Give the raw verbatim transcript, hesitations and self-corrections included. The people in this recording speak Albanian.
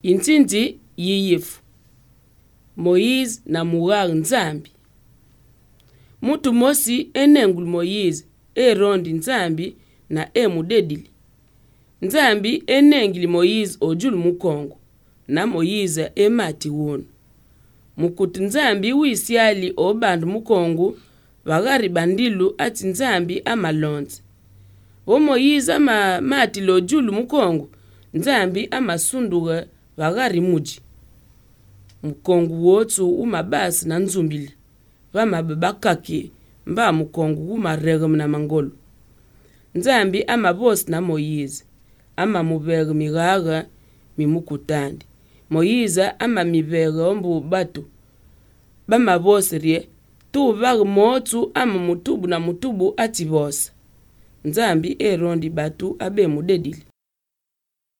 Intsinzi yiyifu Moyize na mughage nzambi. Mutu mosi enenguli Moyize erondi nzambi na emudedili. Nzambi enengili Moyize ojulu mukongo na Moyize emati wunu. Mukuti nzambi wisyali obanda mukongo vagari bandilu ati nzambi amalonze. Vo Moyize ama matile ojulu mukongo nzambi amasunduka vagari muji. Mukongo wotsu umabasi na nzumbili vamabe bakaki mba mukongo gumaregeme na mangolo. Nzambi amabosi na Moyize amamuvege migaga mimukutandi. Moyize amamivege ombu batu bamabosi rye tuvage motsu ama mutubu na mutubu ati bosa. Nzambi erondi batu abe mudedili.